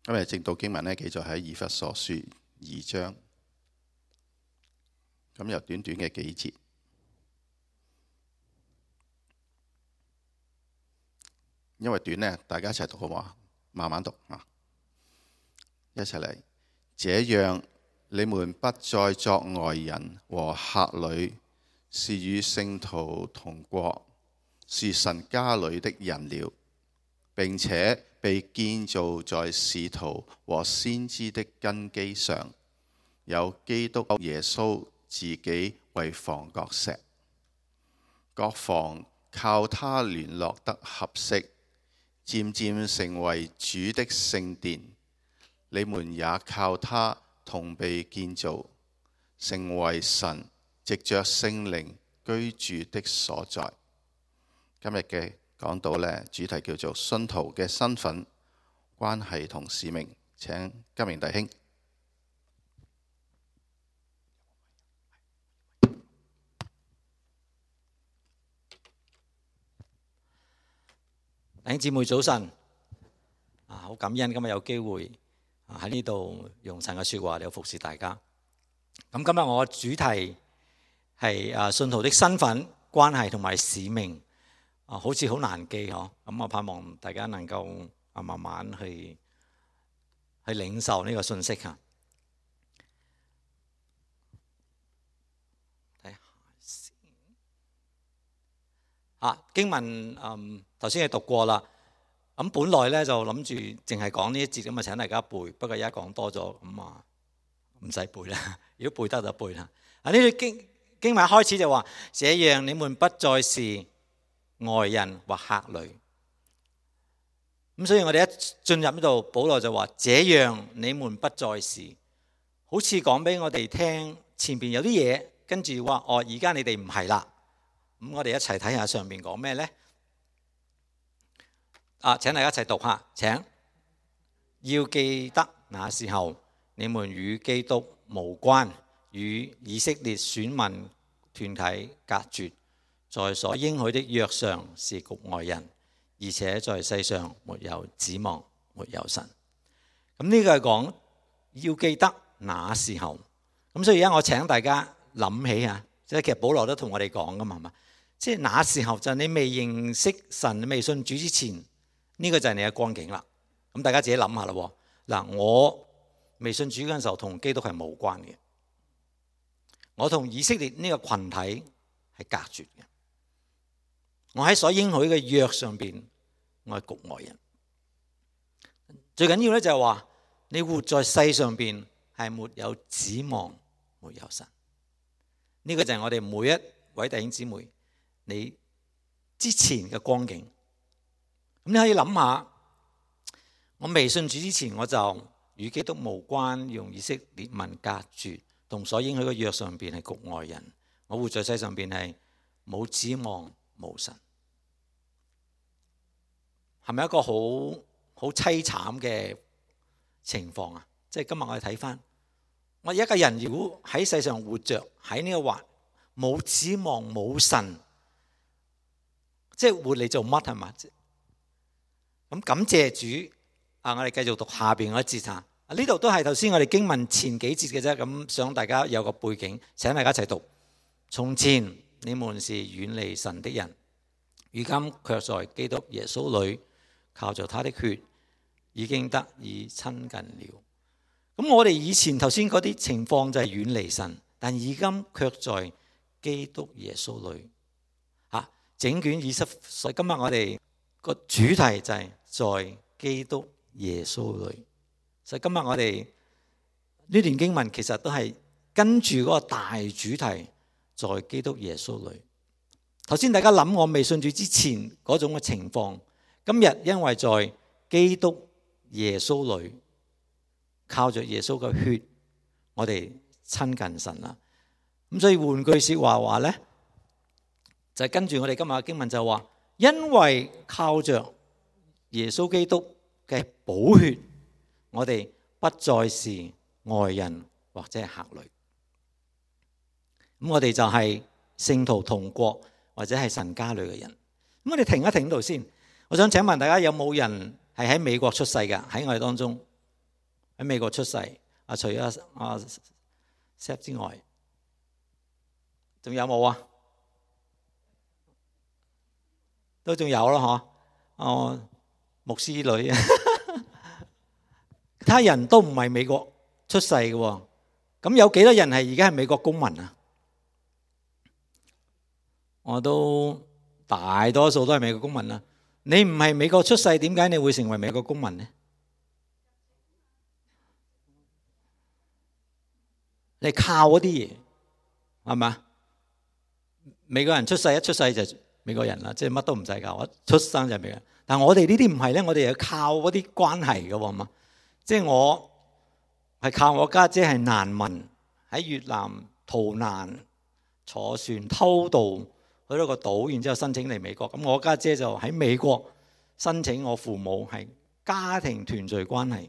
今日正道經文呢，記載喺以弗所書2章，咁有短短嘅幾節，因為短呢，大家一齊讀好嘛？慢慢讀啊！一齊嚟。這樣你們不再作外人和客旅，是與聖徒同國，是神家裏的人了，並且被建造在使徒和先知的根基上，有基督耶穌自己為房角石，各房靠他聯絡得合適，漸漸成為主的聖殿。你們也靠他同被建造，成為神藉着聖靈居住的所在。今日嘅講道呢，主題叫做信徒嘅身份、關係同使命。請金明弟兄。弟兄姊妹早晨，好感恩今日有機會喺呢度用神嘅說話嚟服侍大家。咁今日我嘅主題係信徒的身份、關係同埋使命。好似好難記嗬，咁我盼望大家能夠慢慢去領受呢個信息吓。睇下先。經文頭先係讀過啦，咁本來咧就諗住淨係講呢一節咁啊，請大家背。不過而家講多咗，咁啊唔使背啦。如果背得就背啦。呢段經文一開始就話：這樣你們不再是外人或客旅。咁所以我哋一進入呢度，保羅就話：這樣你們不再是，好似講俾我哋聽前邊有啲嘢，跟住話而家你哋唔係啦。咁我哋一齊睇下上邊講咩呢？請大家一齊讀下，請要記得那時候你們與基督無關，與以色列選民團體隔絕，在所應許的約上是局外人，而且在世上沒有指望，沒有神。咁呢個係講要記得那時候。咁所以而家我請大家諗起啊，即係其實保羅都同我哋講噶嘛，係嘛？即係那時候就係你未認識神、你未信主之前，呢個就係你嘅光景啦。咁大家自己諗下啦。嗱，我未信主嗰陣時候同基督係冇關嘅，我同以色列呢個群體係隔絕嘅。我喺所應許嘅約上邊，我係局外人。最緊要咧就係話，你活在世上邊係沒有指望，沒有神。呢個就係我哋每一位弟兄姊妹你之前嘅光景。咁你可以諗下，我未信主之前，我就與基督無關，用以色列民隔絕，同所應許嘅約上邊係局外人。我活在世上邊係冇指望，冇神，係咪一個好淒慘嘅情況啊？即係今日我哋睇翻，我一個人如果喺世上活着，喺呢個環冇指望冇神，即係活嚟做乜係嘛？咁感謝主我哋繼續讀下邊嗰一節啊。呢度都係頭先我哋經文前幾節嘅啫，咁想大家有個背景，請大家一齊讀。從前你們是遠離神的人，如今卻在基督耶穌裏靠着他的血已經得以親近了。咁我哋以前頭先嗰啲情況就係遠離神，但而今卻在基督耶穌裏。整卷以弗所，所以今日我哋個主題就係在基督耶穌裏。所以今日我哋呢段經文其實都係跟住嗰個大主題，在基督耶穌裏。頭先大家諗我未信主之前嗰種嘅情況，今日因為在基督耶穌裏，靠着耶穌嘅血，我哋親近神啦。咁所以換句說話呢，就係跟住我哋今日嘅經文就話，因為靠着耶穌基督嘅寶血，我哋不再是外人或者係客旅。咁我哋就係聖徒同國或者係神家裏嘅人。咁我哋停一停度先，我想請問大家有冇人係喺美國出世嘅？喺我哋當中喺美國出世。除咗Seth 之外，仲有冇啊？都仲有咯，嗬。牧師女，其他人都唔係美國出世嘅喎。咁有幾多人係而家係美國公民啊？我都大多數都係美國公民啦。你唔係美國出世，點解你會成為美國公民呢？你靠嗰啲嘢係嘛？美國人出世一出世就美國人啦，即係乜都唔使教，出生就係美國人。但係我哋呢啲唔係咧，我哋係靠嗰啲關係嘅喎嘛。即係我係靠我家姐係難民喺越南逃難，坐船偷渡去到個島，然之後申請嚟美國。咁我家姐就喺美國申請我父母係家庭團聚關係。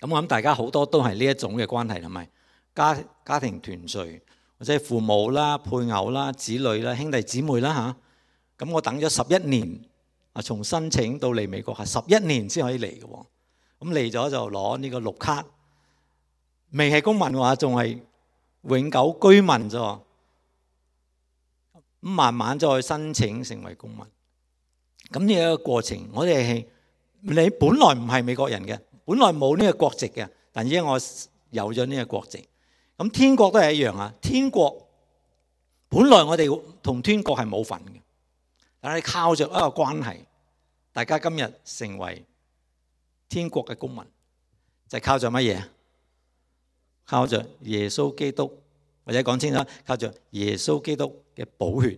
咁我諗大家好多都係呢一種嘅關係，係咪？家庭團聚，或者係父母啦、配偶啦、子女啦、兄弟姊妹啦嚇。咁我等咗11年，從申請到嚟美國係11年先可以嚟嘅喎。咁嚟咗就攞呢個綠卡，未係公民嘅話，仲係永久居民啫。咁慢慢再申請成為公民。咁呢一個過程，我哋係你本來唔係美國人嘅，本來冇呢個國籍嘅，但而家我有咗呢個國籍。咁天國都係一樣啊！天國本來我哋同天國係冇份嘅，但係靠着一個關係，大家今日成為天國嘅公民，就係靠着乜嘢？靠着耶穌基督，或者講清楚，靠着耶穌基督嘅寶血，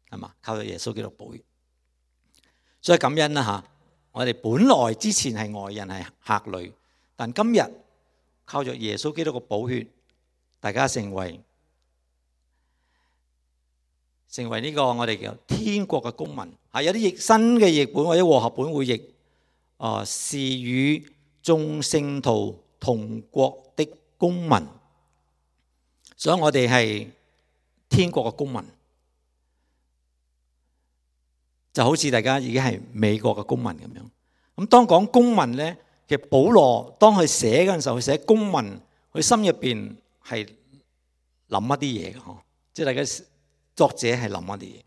係嘛？靠着耶穌基督寶血，所以感恩啦嚇！我哋本來之前係外人係客旅，但今日靠着耶穌基督嘅寶血，大家成為呢個我哋叫天國嘅公民。有啲譯新嘅譯本或者和合本會譯是與眾聖徒同國的公民，所以我哋係天國嘅公民，就好似大家已經係美國嘅公民咁樣。咁當講公民呢，其實保羅當佢寫嗰陣時候，佢寫公民，佢心入邊係諗一啲嘢嘅嗬，即係大家作者係諗一啲嘢。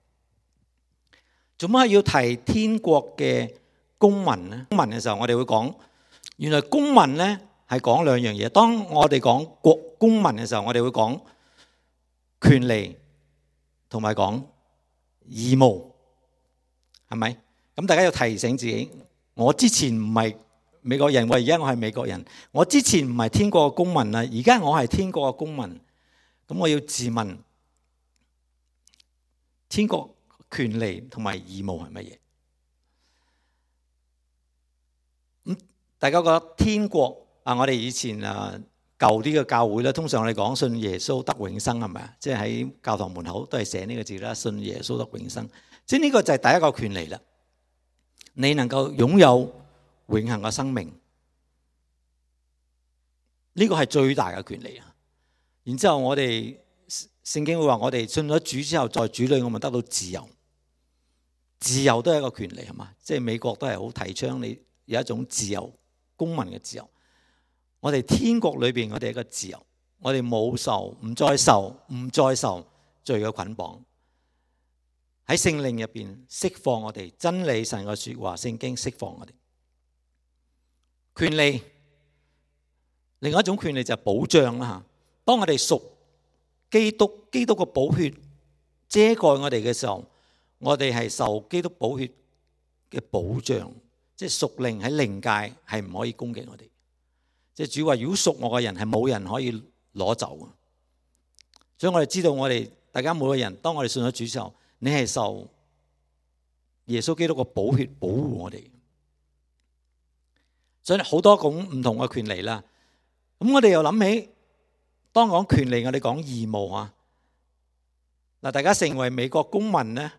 做乜要提天國嘅公民呢？公民嘅時候，我哋會講，原來公民呢係講兩樣嘢。當我哋講國公民嘅時候，我哋會講權利同埋講義務，係咪？咁大家要提醒自己，我之前唔係美國人，而家我係美國人。我之前唔係天國嘅公民啦，而家我係天國嘅公民。咁我要自問，天國權利同埋義務係乜嘢？咁大家覺得天國我哋以前舊啲嘅教會咧，通常我哋講信耶穌得永生，係咪啊？即係喺教堂門口都係寫呢個字啦，信耶穌得永生。即係呢個就係第一個權利啦。你能夠擁有永恆嘅生命，呢個係最大嘅權利啊！然之後我哋聖經會話，我哋信咗主之後，在主裏我們得到自由。自由都係一個權利，係嘛？即係美國都係好提倡你有一種自由，公民嘅自由。我哋天國裏邊，我哋一個自由，我哋冇受，唔再受罪嘅捆綁。喺聖靈入邊釋放我哋，真理神嘅說話，聖經釋放我哋權利。另外一種權利就係保障啦吓。當我哋屬基督，基督嘅寶血遮蓋我哋嘅時候，我哋係受基督寶血嘅保障，即係屬靈喺靈界係唔可以攻擊我哋。即係主話，如果屬我嘅人係冇人可以攞走嘅。所以我哋知道，我哋大家每個人，當我哋信咗主之後，你係受耶穌基督嘅寶血保護我哋。所以好多種唔同嘅權利啦。咁我哋又諗起，當講權利，我哋講義務啊。嗱，大家成為美國公民咧，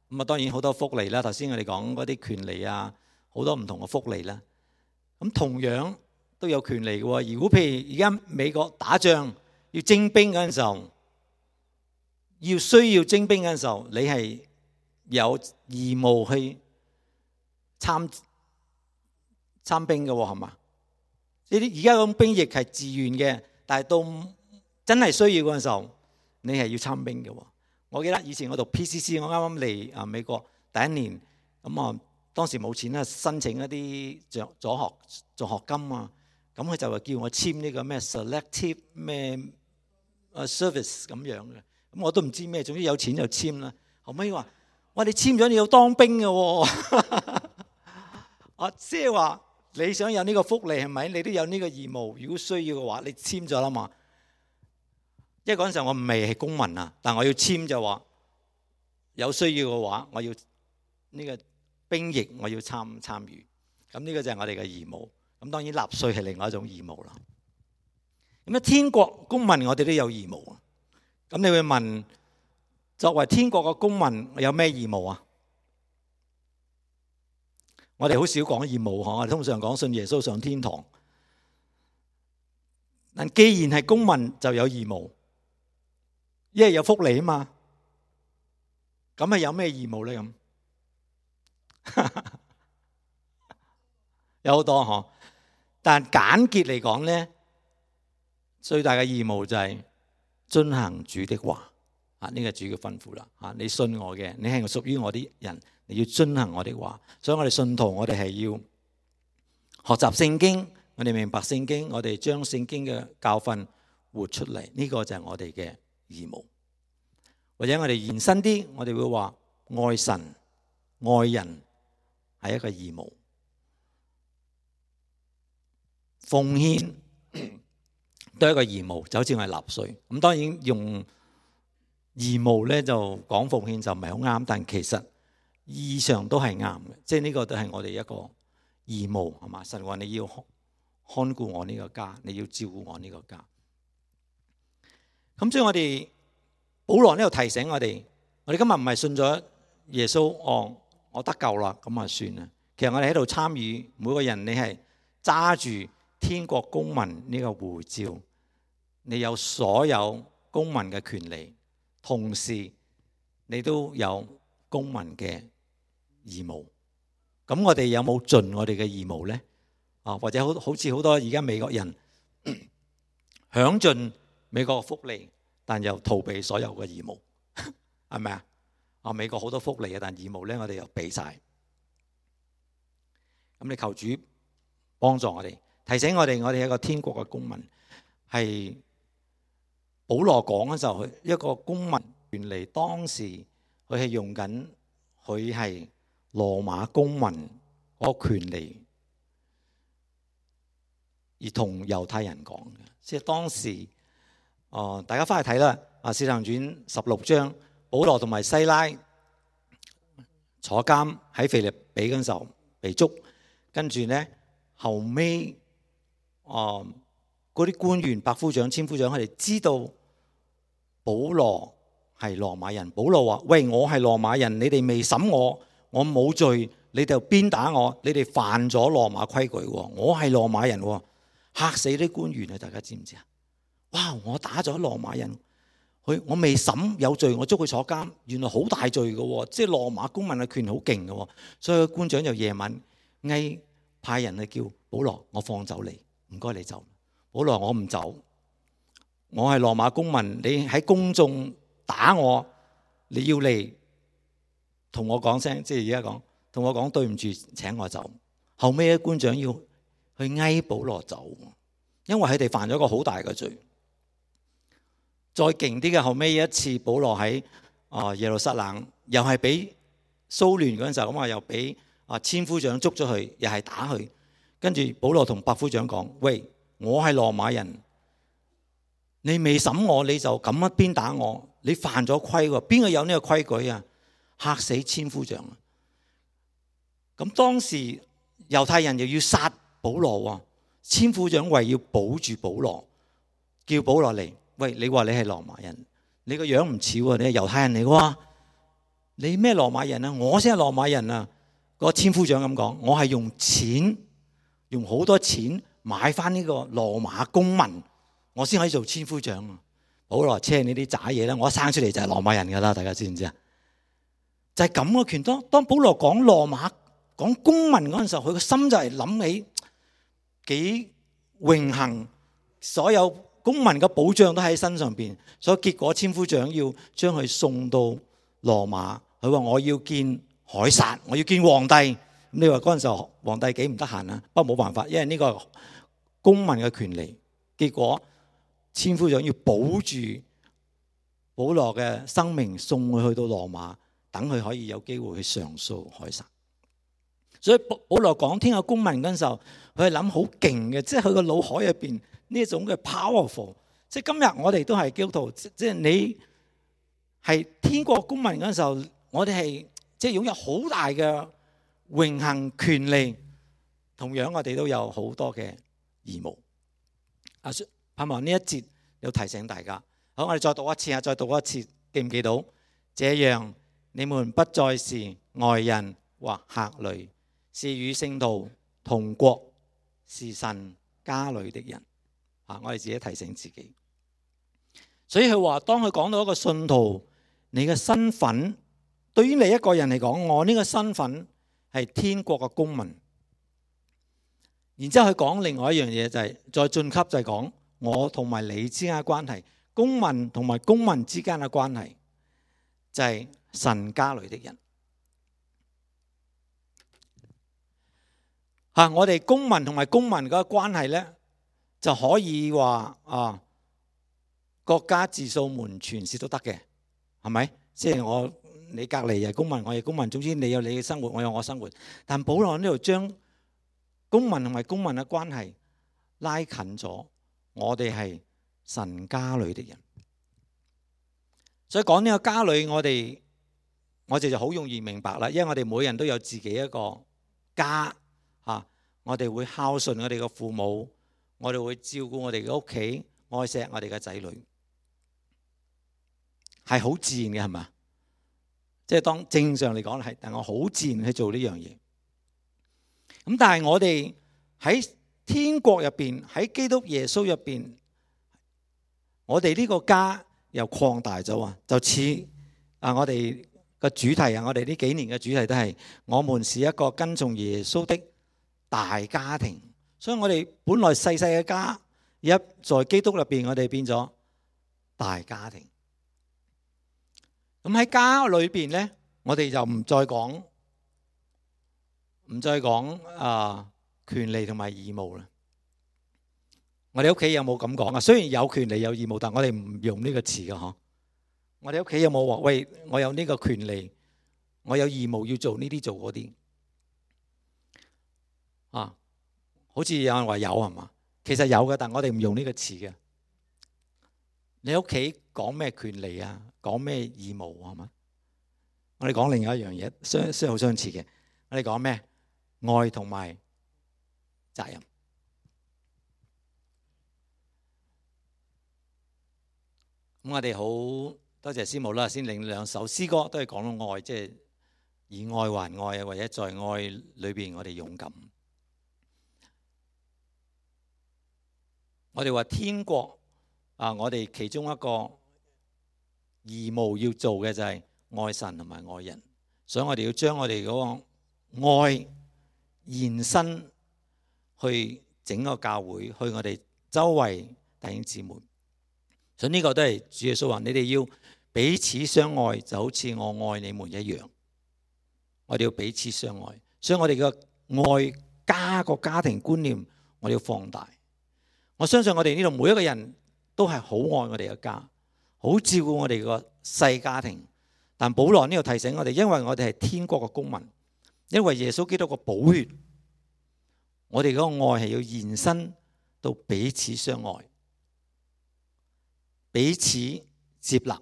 咁當然好多福利啦。頭先我哋講嗰啲權利啊，好多唔同嘅福利啦。咁同樣都有權利嘅。如果譬如而家美國打仗要徵兵嗰陣時候，需要徵兵嗰陣時候，你係有義務去參兵嘅，係嘛？呢啲而家嗰種兵役係自願嘅，但係到真係需要嗰陣時候，你係要參兵嘅。我記得以前我讀 PCC， 我啱啱嚟美國第一年，咁當時冇錢啦，申請一啲助學金啊，咁佢就話叫我簽呢個咩 selective 咩service 咁樣嘅，咁我都唔知咩，總之有錢就簽啦。後尾話：哇，你簽咗你要當兵嘅喎，即係話你想有呢個福利係咪？你都有呢個義務，如果需要嘅話，你簽咗啦嘛。因為嗰陣時候我未係公民啊，但我要簽就話有需要嘅話，我要呢個兵役我要參與，咁呢個就係我哋嘅義務。咁當然納稅係另外一種義務啦。咁天國公民我哋都有義務。咁你會問，作為天國嘅公民有咩義務啊？我哋好少講義務，我哋通常講信耶穌上天堂。但既然係公民就有義務，因為有福利啊嘛。咁係有咩義務咧？咁有好多嗬，但簡潔嚟講咧，最大嘅義務就係遵行主的話。呢個主嘅吩咐啦。你信我嘅，你係屬於我啲人，你要遵行我的話。所以我哋信徒，我哋係要學習聖經，我哋明白聖經，我哋將聖經嘅教訓活出嚟。呢個就係我哋嘅義務。或者我哋延伸啲，我哋會話愛神愛人係一個義務，奉獻都係一個義務，就好似我哋納稅。咁當然用義務咧就講奉獻就唔係好啱，但其實意義上都係啱嘅，即係呢個都係我哋一個義務，係嘛？神話你要看顧我呢個家，你要照顧我呢個家。咁所以我哋保羅呢度提醒我哋今日唔係信咗耶穌，我得救啦，咁啊算啦。其實我哋喺度參與，每個人你係揸住天國公民呢個護照，你有所有公民嘅權利，同時你都有公民嘅義務。咁我哋有冇盡我哋嘅義務呢？或者好似好多而家美國人享盡美國嘅福利，但又逃避所有嘅義務，係咪啊？美國好多福利嘅，但義務咧我哋又俾晒。咁你求主幫助我哋，提醒我哋係一個天國嘅公民。係保羅講嘅時候，一個公民原嚟當時佢係用緊佢係羅馬公民嗰個權利，而同猶太人講嘅，即係當時。大家翻去睇啦，《使徒行傳》16章，保羅同埋西拉坐監喺腓立比嗰陣時候被捉，跟住呢後尾嗰啲官員、百夫長、千夫長，佢哋知道保羅係羅馬人。保羅話：喂，我係羅馬人，你哋未審我，我冇罪，你哋就鞭打我，你哋犯咗羅馬規矩，我係羅馬人，嚇死啲官員啊！大家知唔知啊？哇！我打咗羅馬人，我未審有罪，我捉佢坐監，原來好大罪嘅，即係羅馬公民嘅權好勁嘅，所以官長就夜晚派人去叫保羅，我放走你，唔該你走。保羅，我唔走，我係羅馬公民，你喺公眾打我，你要嚟同我講聲，即係而家講，同我講對唔住，請我走。後尾咧官長要去嗌保羅走，因為佢哋犯咗個好大嘅罪。再勁啲嘅，後尾一次保羅喺耶路撒冷，又係俾騷亂嗰陣時候，咁啊又俾千夫長捉咗佢，又係打佢。跟住保羅同百夫長講：喂，我係羅馬人，你未審我你就咁一邊打我，你犯咗規喎，邊個有呢個規矩啊？嚇死千夫長。咁當時猶太人又要殺保羅喎，千夫長為要保住保羅，叫保羅嚟。喂，你話你係羅馬人，你個樣唔似喎，你係猶太人嚟嘅，你咩羅馬人啊？我先係羅馬人啊！個千夫長咁講，我係用錢，用好多錢買翻呢個羅馬公民，我先可以做千夫長啊！保羅，車你啲渣嘢咧，我一生出嚟就係羅馬人噶啦，大家知唔知啊？就係咁嘅權。當保羅講羅馬講公民嗰陣時候，佢個心就係諗起幾榮幸，所有公民嘅保障都喺身上邊，所以結果千夫長要將佢送到羅馬。佢話我要見凱撒，我要見皇帝。咁你話嗰陣時候皇帝幾唔得閒啊？不過冇辦法，因為呢個公民嘅權利。結果千夫長要保住保羅嘅生命，送佢去到羅馬，等佢可以有機會去上訴凱撒。所以保羅講天下公民嗰陣時候，佢係諗好勁嘅，即係佢個腦海入邊呢一種嘅 powerful。即係今日我哋都係基督徒，即係你係天國公民嗰陣時候，我哋係即係擁有好大嘅榮幸權利，同樣我哋都有好多嘅義務。盼望呢一節要提醒大家。好，我哋再讀一次啊，再讀一次，記唔記到？這樣你們不再是外人或客旅，是與聖徒同國，是神家裏的人。我哋自己提醒自己。所以佢話，當佢講到一個信徒，你嘅身份，對於你一個人嚟講，我呢個身份係天國嘅公民。然之後佢講另外一樣嘢，就係再晉級，就係講我同埋你之間嘅關係，公民同埋公民之間嘅關係，就係神家裏的人。我哋公民同埋公民嘅關係呢，就可以話國家自掃門全是都得嘅，係咪？即係你隔離係公民，我係公民，總之你有你嘅生活，我有我生活。但保羅呢度將公民同埋公民嘅關係拉近咗，我哋係神家裏的人。所以講呢個家裏，我哋就好容易明白啦，因為我哋每人都有自己一個家。我哋會孝順我哋嘅父母，我哋會照顧我哋嘅屋企，愛錫我哋嘅仔女，係好自然嘅，係嘛？即係當正常嚟講係，但我好自然去做呢樣嘢。咁但係我哋喺天國入邊，喺基督耶穌入邊，我哋呢個家又擴大咗啊！就似我哋個主題啊，我哋呢幾年嘅主題都係，我們是一個跟從耶穌的大家庭。所以我哋本來細細嘅家，而家在基督入邊，我哋變咗大家庭。咁喺家裏邊咧，我哋就唔再講權利同埋義務啦。我哋屋企有冇咁講啊？雖然有權利有義務，但我哋唔用呢個詞嘅嗬。我哋屋企有冇話喂，我有呢個權利，我有義務要做呢啲做嗰啲好似有人話有係嘛？其實有嘅，但我哋唔用呢個詞嘅。你屋企講咩權利啊？講咩義務係嘛？我哋講另外一樣嘢，相好相似嘅。我哋講咩？愛同埋責任。咁我哋好多謝師母啦，先領兩首詩歌都係講到愛，即係以愛還愛啊，或者在愛裏邊我哋勇敢。我哋話天國我哋其中一個義務要做嘅就係愛神同埋愛人，所以我哋要將我哋嗰個愛延伸去整個教會，去我哋周圍弟兄姊妹。所以呢個都係主耶穌話：你哋要彼此相愛，就好似我愛你們一樣。我哋要彼此相愛，所以我哋嘅愛加個家庭觀念，我哋要放大。我相信我哋呢度每一個人都係好愛我哋嘅家，好照顧我哋個細家庭。但保羅呢度提醒我哋，因為我哋係天國嘅公民，因為耶穌基督嘅寶血，我哋嗰個愛係要延伸到彼此相愛，彼此接納。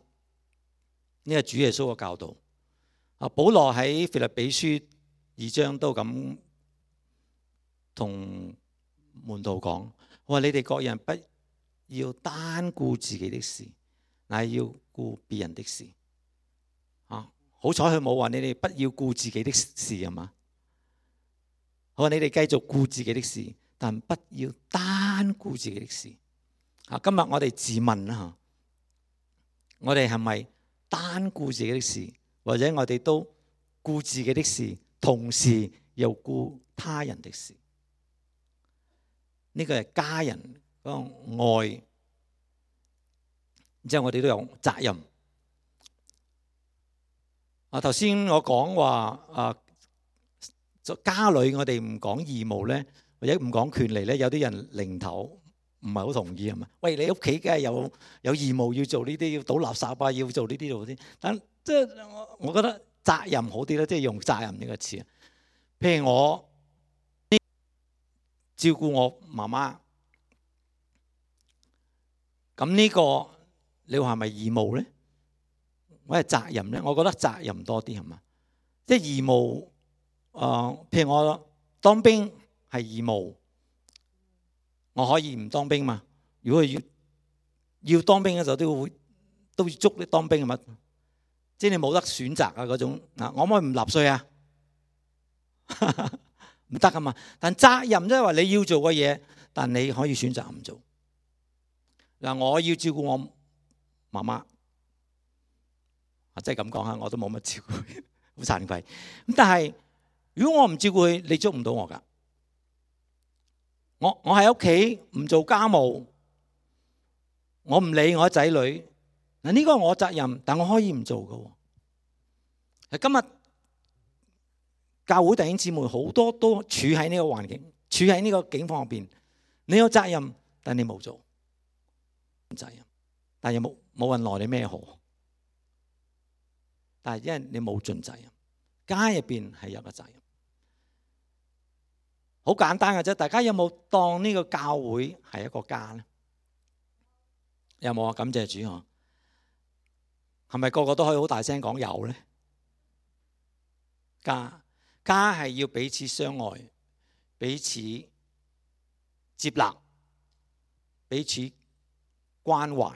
呢個主耶穌嘅教導。保羅喺腓立比書2章都咁同門徒講。我話你哋各人不要單顧自己的事，乃要顧別人的事。好彩佢冇話你哋不要顧自己的事係嘛？我話你哋繼續顧自己的事，但不要單顧自己的事。今日我哋自問啦，我哋係咪單顧自己的事，或者我哋都顧自己的事，同時又顧他人的事？呢個係家人嗰個愛。然之後我哋都有責任。頭先我講話家裏我哋唔講義務咧，或者唔講權利咧，有啲人零頭唔係好同意係嘛？喂，你屋企梗係有義務要做呢啲，要倒垃圾啊，要做呢啲做嗰啲。但即係我覺得責任好啲啦，即係用責任呢個詞。譬如我照顧我媽媽，咁呢個你話係咪義務咧？或者責任咧？我覺得責任多啲係嘛？即係義務。譬如我當兵係義務，我可以唔當兵嘛？如果要當兵嘅時候都要捉你當兵係嘛？即係你冇得選擇啊嗰種。我可唔可以唔納稅啊？唔得噶嘛。但責任即係話你要做嘅嘢，但你可以選擇唔做。我要照顧我媽媽，即係咁講下，我都冇乜照顧佢，好慚愧。咁但係如果我唔照顧佢，你捉唔到我噶。我喺屋企唔做家務，我唔理我仔女。呢個係我責任，但我可以唔做噶。今日教會弟兄姊妹好多都處喺呢個環境，處喺呢個境況入邊。你有責任，但你冇做責任，但又冇人奈你咩何。但係因為你冇盡責任，家入邊係有個責任。好簡單嘅啫，大家有冇當呢個教會係一個家咧？有冇啊？感謝主啊！係咪個個都可以好大聲講有咧？家係要彼此相愛，彼此接納，彼此關懷。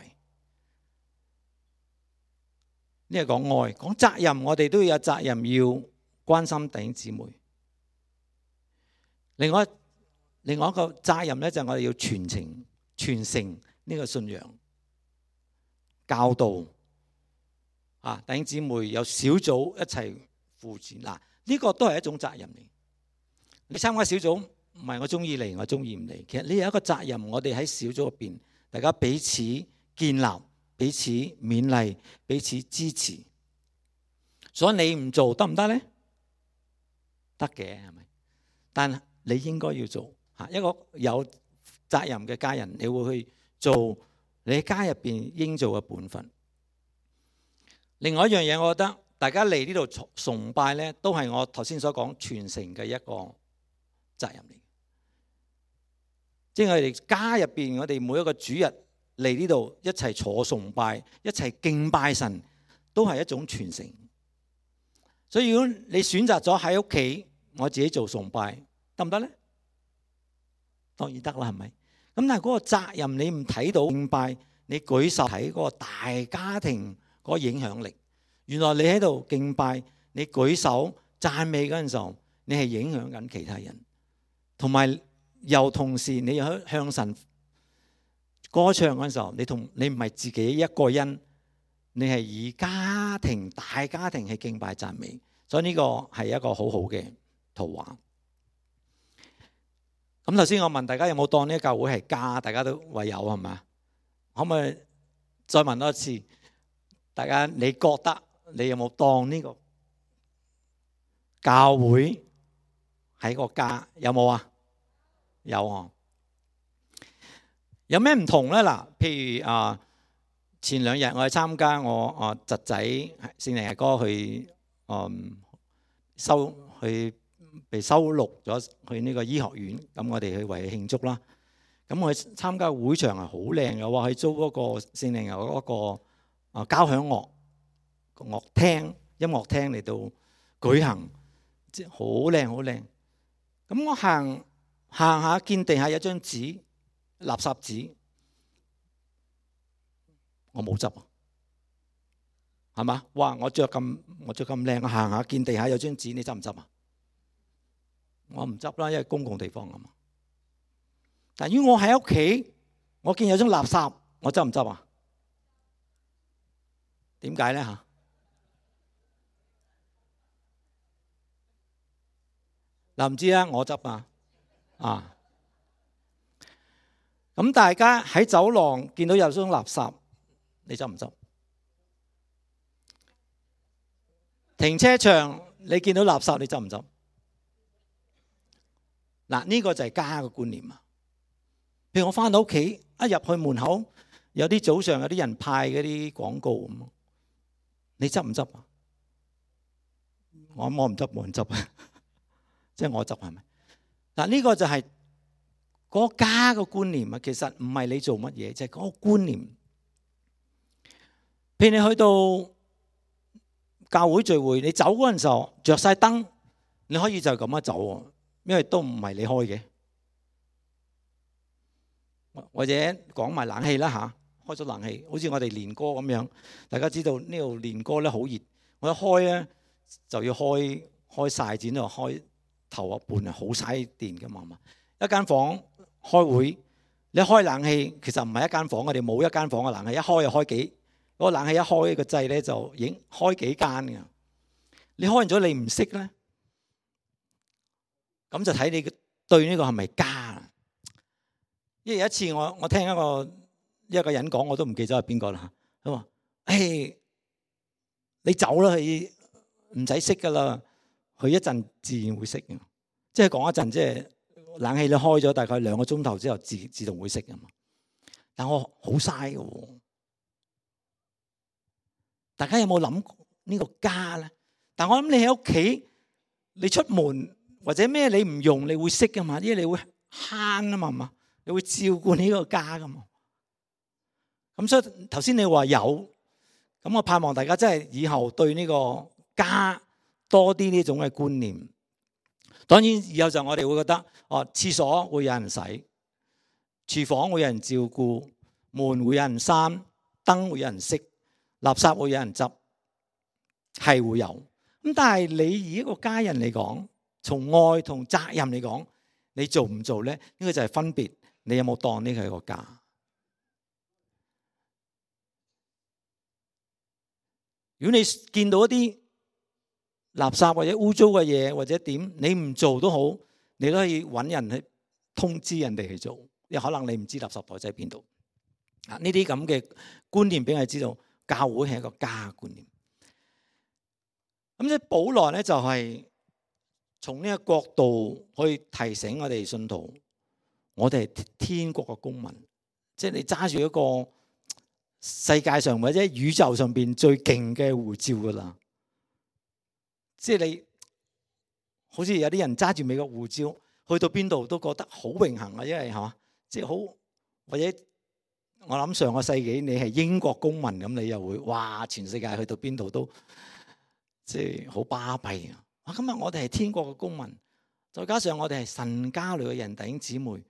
呢個講愛，講責任，我哋都要有責任要關心弟兄姊妹。另外一個責任咧，就係我哋要傳承呢個信仰，教導弟兄姊妹有小組一齊扶持。呢個都係一種責任嚟。你參加小組唔係我中意嚟，我中意唔嚟。其實你有一個責任，我哋喺小組入邊，大家彼此建立、彼此勉勵、彼此支持。所以你唔做得唔得咧？得嘅，係咪？但你應該要做。一個有責任嘅家人，你會去做你喺家入邊應做嘅本分。另外一樣嘢，我覺得大家嚟呢度崇拜咧，都係我頭先所講傳承嘅一個責任嚟。即係我哋家入邊，我哋每一個主日嚟呢度一齊坐崇拜，一齊敬拜神，都係一種傳承。所以如果你選擇咗喺屋企，我自己做崇拜，得唔得咧？當然得啦，係咪？咁但係嗰個責任你唔睇到敬拜，你舉手喺嗰個大家庭嗰個影響力。原來你喺度敬拜，你舉手讚美嗰陣時候，你係影響緊其他人，同埋又同時你又向神歌唱嗰陣時候，你唔係自己一個人，你係以大家庭去敬拜讚美。所以呢個係一個好好嘅圖畫。咁頭先我問大家有冇當呢個教會係家，大家都話有，係咪？可唔可以再問多一次？大家你覺得你有冇當呢個教會係個家？有冇啊？有啊。有咩唔同咧？嗱，譬如前兩日我去參加我侄仔聖靈日歌去被收錄咗去呢個醫學院，咁我哋去為佢慶祝啦。咁我去參加會場係好靚嘅，話去租嗰個聖靈嗰個交響樂廳、音樂廳嚟到舉行，即係好靚好靚。咁我行下見地下有張紙，垃圾紙，我冇執啊，係嘛？哇！我着咁靚，我行下見地下有張紙，你執唔執啊？我唔執啦，因為公共地方啊嘛。但如果我喺屋企，我見有張垃圾，我執唔執啊？點解咧嚇？嗱，唔知啦，我執啊。咁大家喺走廊見到有種垃圾，你執唔執？停車場你見到垃圾，你執唔執？嗱，呢個就係家嘅觀念啊！譬如我翻到屋企，一入去門口，有啲早上有啲人派嗰啲廣告咁，你執唔執啊？我唔執，冇人執啊！即係我執係咪？嗱，呢個就係嗰個家嘅觀念啊！其實唔係你做乜嘢，就係嗰個觀念。譬如你去到教會聚會，你走嗰陣時候着晒燈，你可以就咁樣走，因為都唔係你開嘅。或者講埋冷氣啦嚇，開咗冷氣，好似我哋練歌咁樣。大家知道呢度練歌咧好熱，我一開咧就要開晒剪到開頭一半啊，好嘥電㗎嘛。一間房開會，你開冷氣其實唔係一間房，我哋冇一間房嘅冷氣，一開就開幾嗰個冷氣一開個掣咧就已經開幾間㗎。你開完咗你唔識咧，咁就睇你對呢個係咪家。因為有一次我聽一個人講，我都唔記得係邊個啦。佢話：你走啦，佢唔使識噶啦，佢一陣自然會識嘅。即係講一陣，即係冷氣你開咗大概2個鐘頭之後，自動會識㗎嘛。但我好嘥嘅。大家有冇諗呢個家咧？但我諗你喺屋企，你出門或者咩你唔用，你會識噶嘛？因為你會慳啊嘛。你會照顧呢個家噶嘛？咁所以頭先你話有，咁我盼望大家真係以後對呢個家多啲呢種嘅觀念。當然以後就我哋會覺得，廁所會有人洗，廚房會有人照顧，門會有人閂，燈會有人熄，垃圾會有人執，係會有。咁但係你以一個家人嚟講，從愛同責任嚟講，你做唔做咧？呢個就係分別。你有冇當呢個係個家？如果你見到一啲垃圾或者污糟嘅嘢或者點，你唔做都好，你都可以揾人去通知人哋去做。因為可能你唔知垃圾袋喺邊度。呢啲咁嘅觀念俾我哋知道，教會係一個家嘅觀念。咁即係保羅咧，就係從呢個角度去提醒我哋信徒。我哋係天國嘅公民，即係你揸住一個世界上或者宇宙上邊最勁嘅護照噶啦。即係你好似有啲人揸住美國護照去到邊度都覺得好榮幸啊，因為係嘛，即係好或者我諗上個世紀你係英國公民咁，你又會哇全世界去到邊度都即係好巴閉啊！今日我哋係天國嘅公民，再加上我哋係神家裏嘅人，弟兄姊妹。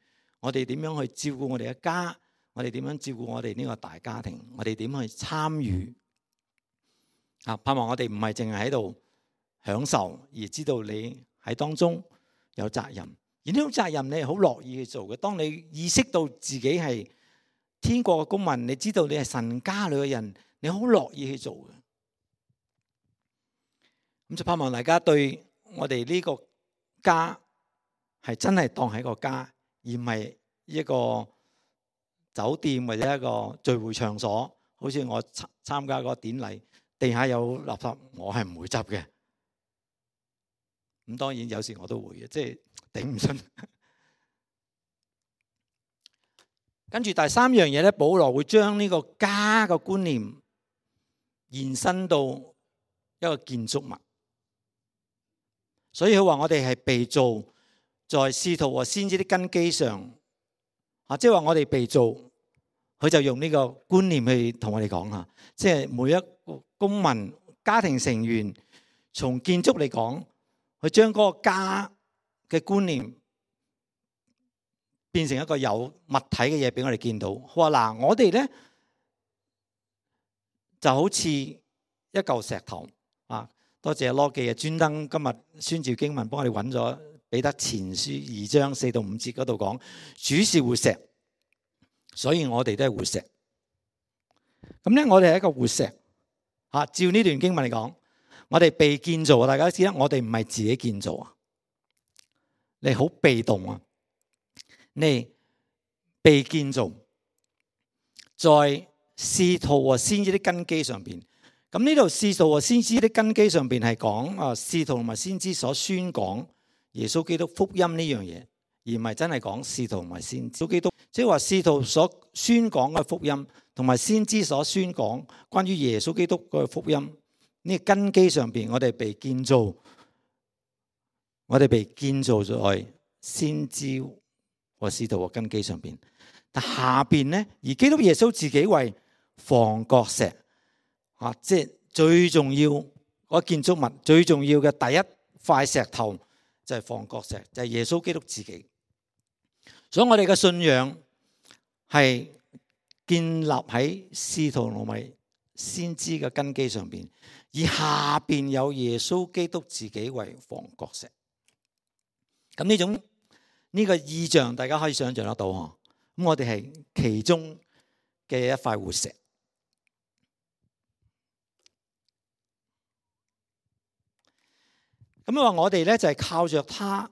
我哋點樣去照顧我哋嘅家？我哋點樣照顧我哋呢個大家庭？我哋點去參與？盼望我哋唔係淨係喺度享受，而知道你喺當中有責任。而呢種責任你係好樂意去做嘅。當你意識到自己係天國嘅公民，你知道你係神家裏嘅人，你好樂意去做嘅。咁就盼望大家對我哋呢個家係真係當係一個家。而唔係一個酒店或者一個聚會場所，好似我參加嗰個典禮，地下有垃圾，我係唔會執嘅。咁當然有時我都會嘅，即係頂唔順。跟住第三樣嘢咧，保羅會將呢個家嘅觀念延伸到一個建築物，所以佢話我哋係被造在使徒和先知的根基上，即係話我哋被造，佢就用呢個觀念去同我哋講吓，即係每一個公民、家庭成員，從建築嚟講，佢將嗰個家嘅觀念變成一個有物體嘅嘢俾我哋見到。佢話嗱，我哋咧就好似一嚿石頭啊！多謝羅記啊，專登今日宣召經文幫我哋揾咗。彼得前書2章4到5節嗰度講，主是活石，所以我哋都係活石。咁咧，我哋係一個活石。照呢段經文嚟講，我哋被建造，大家都知啦，我哋唔係自己建造啊，你好被動啊，你被建造在使徒和先知的根基上邊。咁呢度使徒和先知的根基上邊係講使徒同埋先知所宣講耶穌基督福音呢樣嘢，而唔係真係講使徒同埋先知基督。即係話使徒所宣講嘅福音，同埋先知所宣講關於耶穌基督嘅福音，呢個根基上邊，我哋被建造，我哋被建造在先知和使徒嘅根基上邊。但下邊呢，而基督耶穌自己為房角石，即係最重要嗰建築物，最重要嘅第一塊石頭就係房角石，就係耶穌基督自己。所以我哋嘅信仰係建立喺使徒同埋先知嘅根基上邊，而下邊有耶穌基督自己為房角石。咁呢個意象，大家可以想象得到嗬。咁我哋係其中嘅一塊活石。咁話我哋咧就係靠着他，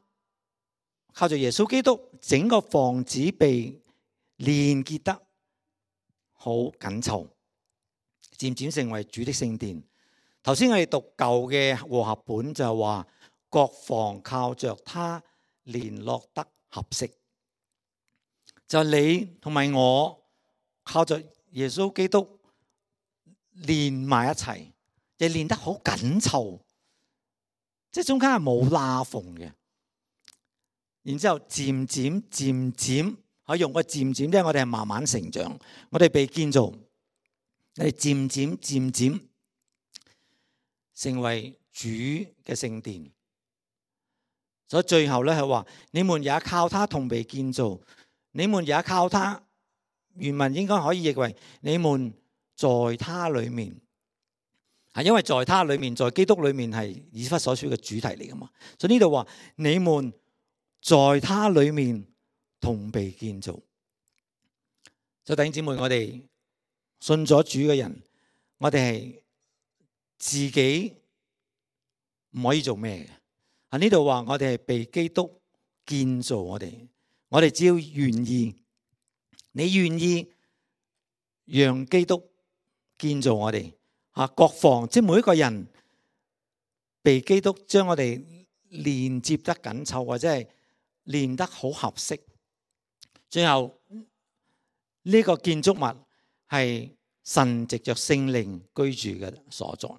靠着耶穌基督，整個房子被連結得好緊湊，漸漸成為主的聖殿。頭先我哋讀舊嘅和合本就係話，各房靠着他聯絡得合適。就你同埋我靠着耶穌基督連埋一齊，就連得好緊湊，即係中間係冇罅縫嘅。然之後漸漸可以用個漸漸，即係我哋係慢慢成長，我哋被建造，我哋漸漸成為主嘅聖殿。所以最後咧係話，你們也靠他同被建造。你們也靠他，原文應該可以譯為你們在他裏面，因為在他裏面，在基督裏面係以弗所書嘅主題嚟噶嘛。所以呢度話你們在他裏面同被建造。所以弟兄姊妹，我哋信咗主嘅人，我哋係自己唔可以做咩嘅。呢度話我哋係被基督建造我哋。我哋只要願意，你願意讓基督建造我哋，各房即係每一個人被基督將我哋連接得緊湊，或者係連得好合適。最後呢個建築物係神藉着聖靈居住嘅所在。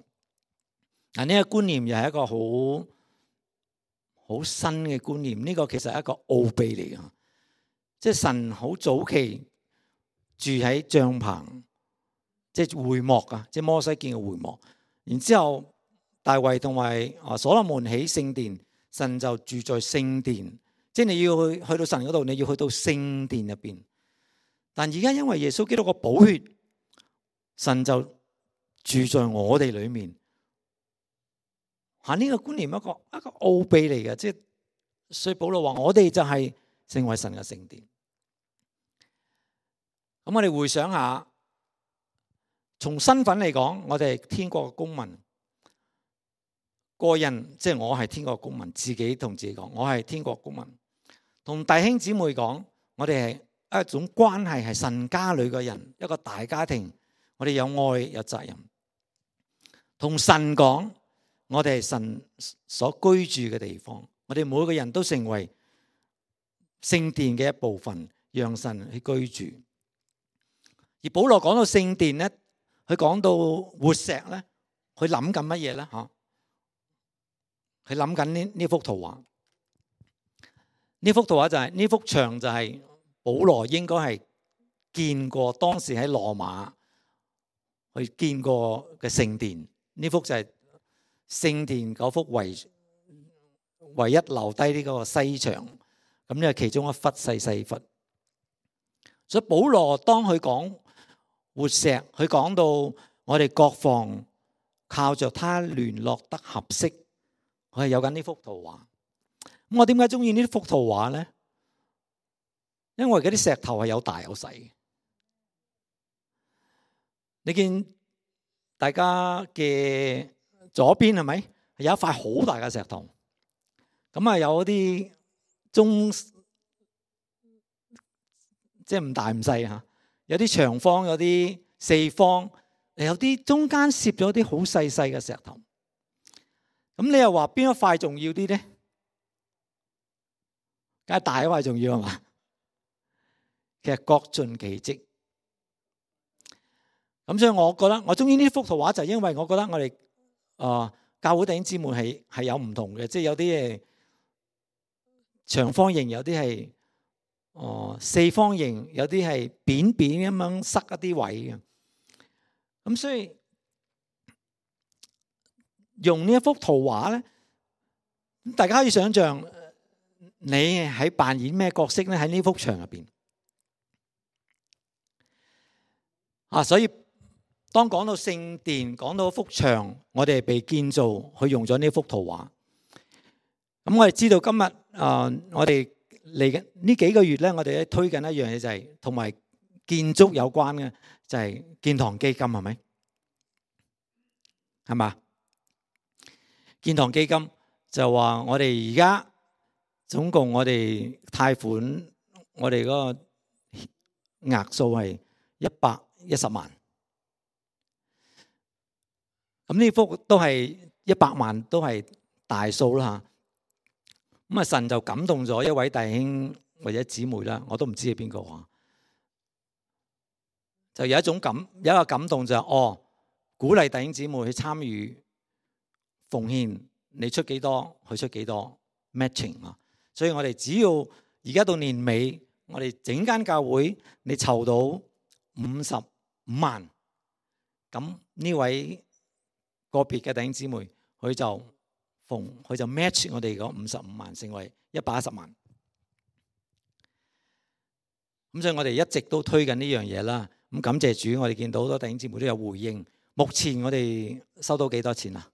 呢個觀念又係一個好新嘅觀念。呢個其實係一個奧秘嚟嘅。即係神好早期住喺帳棚，即係會幕啊，即係摩西建嘅會幕。然之後大衛同埋所羅門起聖殿，神就住在聖殿。即係你要去到神嗰度，你要去到聖殿入邊。但而家因為耶穌基督個寶血，神就住在我哋裏面。呢個觀念一個奧秘嚟嘅，即係所以保羅話我哋就係成為神嘅聖殿。咁我哋回想下，從身份嚟講，我哋係天國嘅公民。個人即係我係天國嘅公民，自己同自己講，我係天國公民。同弟兄姊妹講，我哋係一種關係，係神家裏嘅人，一個大家庭。我哋有愛有責任。同神講，我哋係神所居住嘅地方。我哋每個人都成為聖殿嘅一部分，讓神去居住。而保羅講到聖殿咧，佢講到活石咧，佢諗緊乜嘢咧？佢諗緊呢幅圖畫。呢幅圖畫就係呢幅牆，就係保羅應該係見過，當時喺羅馬去見過嘅聖殿。呢幅就係聖殿嗰幅唯一留低呢個西牆。咁呢係其中一忽細忽。所以保羅當佢講活石，佢講到我哋各房靠着他聯絡得合適，佢係有緊呢幅圖畫。咁我點解中意呢幅圖畫咧？因為嗰啲石頭係有大有細嘅。你見大家嘅左邊係咪有一塊好大嘅石頭？咁有啲即係唔大唔細嚇。有啲長方，有啲四方，有啲中間攝咗啲好細細嘅石頭。咁你又話邊一塊重要啲咧？梗係大一塊重要係嘛？其實各盡其職。咁所以我覺得我中意呢幅圖畫，就係因為我覺得我哋教會弟兄姊妹係有唔同嘅，即係有啲係長方形，有啲係四方形，有啲係扁扁咁樣塞一啲位嘅。咁所以用呢一幅圖畫咧，大家可以想象你喺扮演咩角色咧？喺呢幅牆入邊所以當講到聖殿，講到幅牆，我哋被建造，佢用咗呢幅圖畫。咁我哋知道今日我哋嚟緊呢幾個月咧，我哋推緊一樣嘢，就係同埋建築有關嘅，就係建堂基金，係咪？係嘛？建堂基金就話我哋而家總共我哋貸款，我哋嗰個額數係110萬。咁呢幅都係100萬，都係大數啦嚇。咁神就感動咗一位弟兄或者姊妹啦，我都唔知係邊個話，就有一個感動就係鼓勵弟兄姊妹去參與奉獻，你出幾多，佢出幾多 matching 啊。所以我哋只要而家到年尾，我哋整間教會你籌到55萬，咁呢位個別嘅弟兄姊妹，佢就 match 我哋嗰55萬，成為110萬。咁所以我哋一直都推緊呢樣嘢啦。咁感謝主，我哋見到好多弟兄姊妹都有回應。目前我哋收到幾多錢啊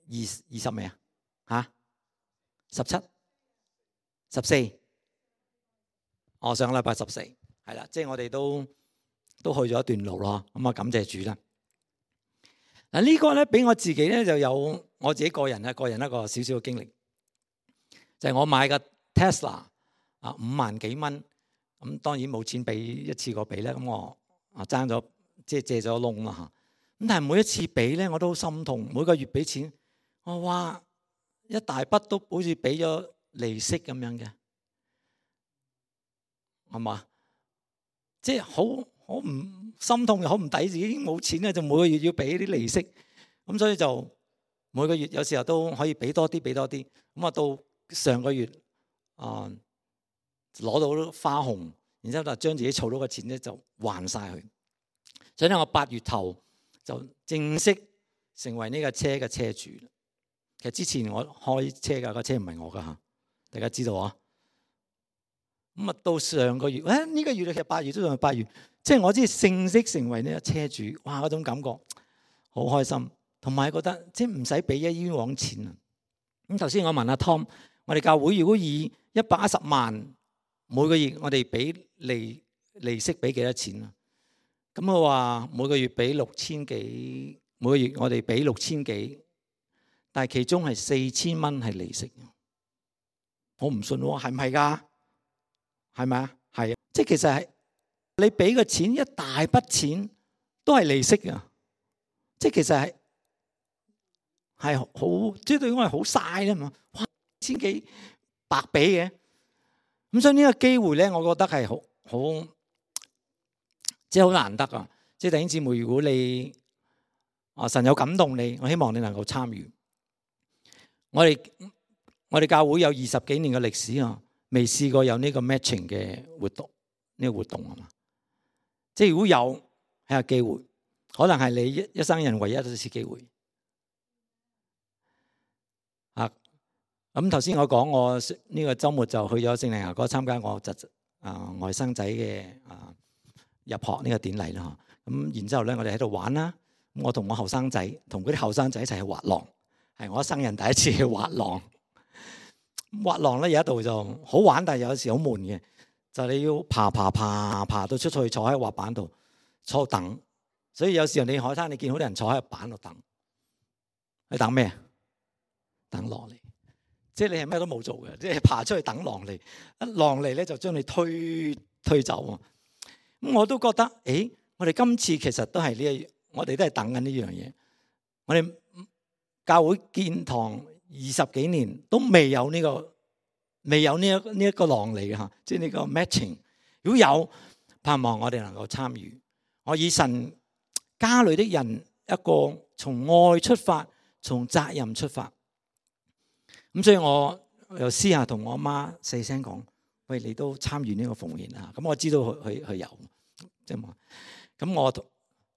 ？20未啊？17、14。上個禮拜14，係啦，即係我哋都去咗一段路咯。咁感謝主啦。嗱，呢個咧俾我自己咧就有我自己個人一個少少嘅經歷，就係我買嘅 Tesla 5萬幾蚊，咁當然冇錢俾一次過俾咧，咁我爭咗即係借咗窿啦嚇。咁但係每一次俾咧我都好心痛，每個月俾錢，我哇一大筆都好似俾咗利息咁樣嘅，係嘛？即係好唔心痛又好唔抵，自己已經冇錢咧，就每個月要俾啲利息，咁所以就每個月有時候都可以俾多啲。咁到上個月攞到花紅，然之後就將自己儲到嘅錢咧就還晒佢。所以咧我8月頭就正式成為呢架車嘅車主。其實之前我開車㗎，個車唔係我㗎嚇，大家知道啊。咁到上個月，呢個月其實8月都仲係8月，即係我先正式成為呢個車主。哇！嗰種感覺好開心，同埋覺得即係唔使俾冤枉錢啊。咁頭先我問阿 Tom， 我哋教會如果以110萬每個月我哋俾利息俾幾多錢啊？咁佢話每個月俾6000幾，每個月我哋俾6000幾，但係其中係4000蚊係利息。我唔信喎，係唔係㗎？係咪啊？係啊，即係其實係你俾個錢一大筆錢都係利息啊！即係其實係好，即係對我係好嘥啦嘛！哇，1000幾白俾嘅，咁所以呢個機會咧，我覺得係好即係好難得啊！即係弟兄姊妹，如果你神有感動你，我希望你能夠參與。我哋教會有20幾年嘅歷史啊！未試過有呢個 matching 嘅活動，呢個活動啊嘛，即係如果有係個機會，可能係你一生人唯一一次機會。咁頭先我講我呢個週末就去咗聖靈牙哥參加我外甥仔嘅入學呢個典禮啦。咁然之後咧，我哋喺度玩啦。咁我同我後生仔同嗰啲後生仔一齊去滑浪，係我一生人第一次去滑浪。滑浪咧有一度就好玩，但係有時好悶嘅，就你要爬到出去坐喺滑板度坐等，所以有時候你海灘你見好多人坐喺板度等，你等咩？等落嚟，即係你係咩都冇做嘅，即係爬出去等狼嚟，一狼嚟咧就將你推走。咁我都覺得，我哋今次其實都係我哋都係等緊呢樣嘢。我哋教會建堂20幾年都未有呢一個狼嚟嘅嚇，即係呢個 matching。如果有，盼望我哋能夠參與。我以神家裏的人一個從愛出發，從責任出發。咁所以我又私下同我媽細聲講：喂，你都參與呢個奉獻啊！咁我知道佢有，即係咁我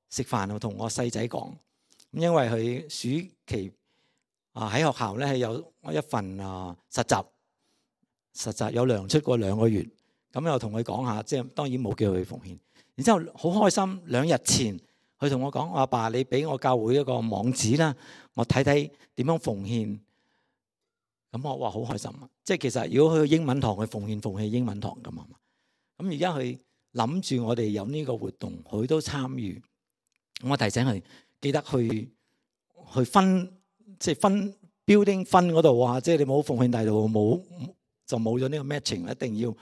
食飯我同我細仔講，咁因為佢暑期喺學校咧係有一份實習有糧出過2個月，咁又同佢講下，即係當然冇叫佢奉獻。然之後好開心，2日前佢同我講：我阿爸，你俾我教會一個網址啦，我睇睇點樣奉獻。咁我話好開心啊！即係其實如果去英文堂去奉獻英文堂咁啊嘛。咁而家佢諗住我哋有呢個活動，佢都參與。我提醒佢記得去分，即係分 building 分嗰度啊！即係你冇奉獻大道冇就冇咗呢個 matching， 一定要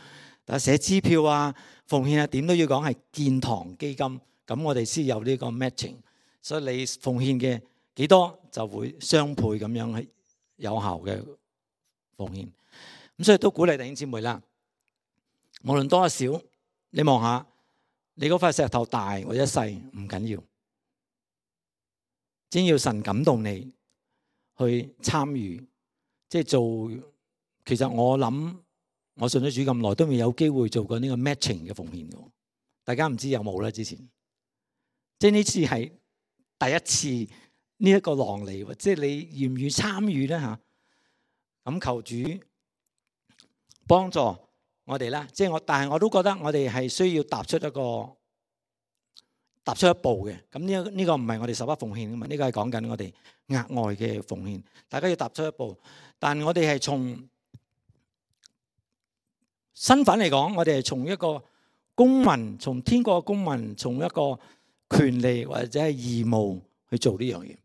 大家寫支票啊、奉獻啊，點都要講係建堂基金，咁我哋先有呢個 matching。所以你奉獻嘅幾多就會雙倍咁樣係有效嘅奉獻。咁所以都鼓勵弟兄姊妹啦，無論多少，你望下你嗰塊石頭大或者細唔緊要，只要神感動你去參與，即係做。其實我諗我信咗主咁耐都未有機會做過呢個 matching 嘅奉獻嘅，大家唔知有冇咧？之前即係呢次係第一次呢一個狼嚟，即係你願唔願意參與咧嚇？咁求主幫助我哋啦，即係但係我都覺得我哋係需要踏出一步嘅。咁呢個唔係我哋十一奉獻嘅嘛，呢個係講緊我哋額外嘅奉獻。大家要踏出一步，但我哋係從身份嚟講，我哋係從一個公民，從天國嘅公民，從一個權利或者係義務去做呢樣嘢。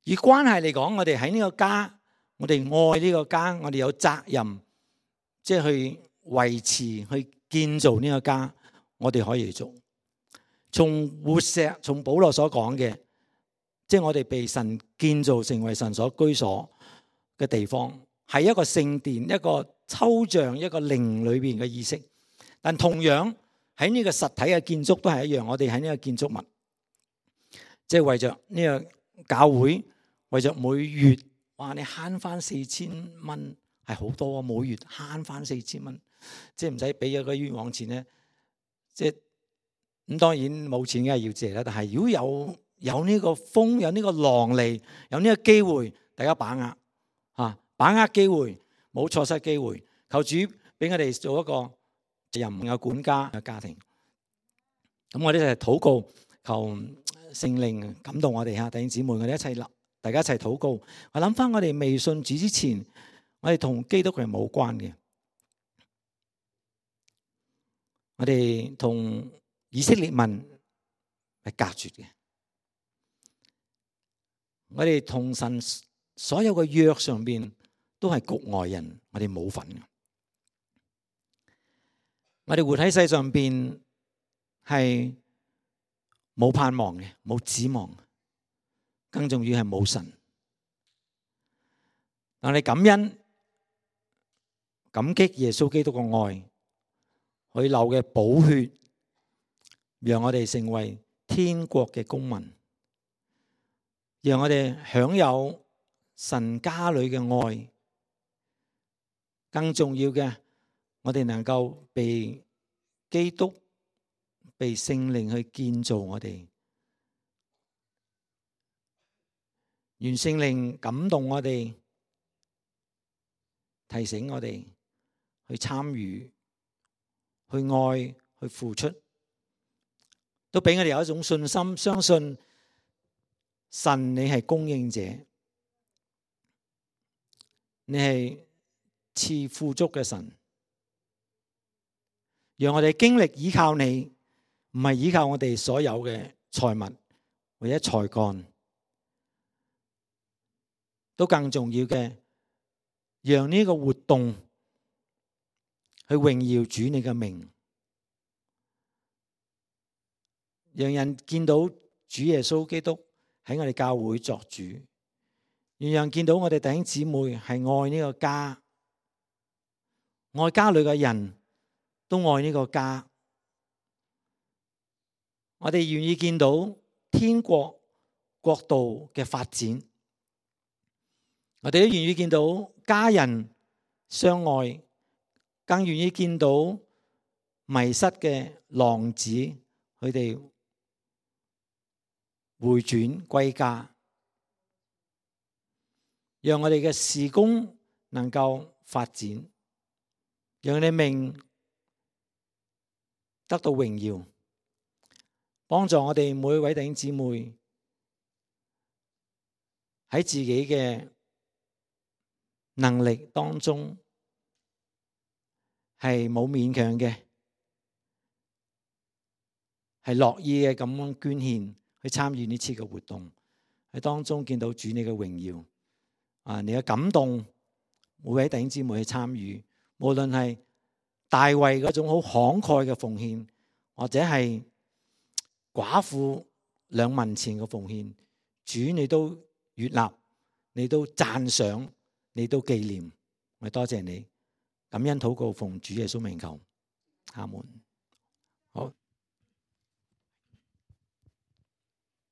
以關係嚟講，我哋喺呢個家，我哋愛呢個家，我哋有責任，即係去維持、去建造呢個家，我哋可以做。從活石，從保羅所講嘅，即係我哋被神建造成為神所居所嘅地方，係一個聖殿，一個抽象，一個靈裏邊嘅意識。但同樣喺呢個實體嘅建築都係一樣，我哋喺呢個建築物，即係為着呢個教會，為着每月，哇！你慳翻4000蚊係好多啊！每月慳翻4000蚊，即係唔使俾咗個冤枉錢咧。即係咁，當然冇錢梗係要借啦。但係如果有呢個風，有呢個浪嚟，有呢個機會，大家把握嚇，把握機會，冇錯失機會。求主俾我哋做一個任嘅管家嘅家庭。咁我哋一齊禱告，求聖靈感動我哋嚇，弟兄姊妹，我哋一齊大家一齊禱告。我諗翻我哋未信主之前，我哋同基督係冇關嘅，我哋同以色列民係隔絕嘅，我哋同神所有嘅約上邊都係局外人，我哋冇份嘅。我哋活喺世上邊係冇盼望嘅，冇指望，更重要係冇神。但係感恩、感激耶穌基督嘅愛，佢流嘅寶血，讓我哋成為天國嘅公民，讓我哋享有神家裏嘅愛。更重要嘅，我哋能夠被基督、被聖靈去建造我哋。願聖靈感動我哋，提醒我哋去參與、去愛、去付出，都俾我哋有一種信心，相信神你係供應者，你係賜富足嘅神，讓我哋經歷依靠你，唔係依靠我哋所有嘅財物或者才幹，都更重要嘅讓呢個活動去榮耀主你嘅名，讓人見到主耶穌基督喺我哋教會作主，讓人見到我哋弟兄姊妹係愛呢個家，愛家裏嘅人都愛呢個家。我哋願意見到天國國度嘅發展，我哋都願意見到家人相愛，更願意見到迷失嘅浪子佢哋回轉歸家，讓我哋嘅事工能夠發展，讓你名得到榮耀，幫助我哋每一位弟兄姊妹喺自己嘅能力當中係冇勉強嘅，係樂意嘅咁樣捐獻去參與呢次嘅活動，喺當中見到主你嘅榮耀你嘅感動，每位弟兄姊妹去參與，無論係大衛嗰種好慷慨嘅奉獻，或者係寡婦2文錢嘅奉獻，主你都悅納，你都讚賞，你都紀念，我多謝你，感恩禱告奉主耶穌名求，阿門。好。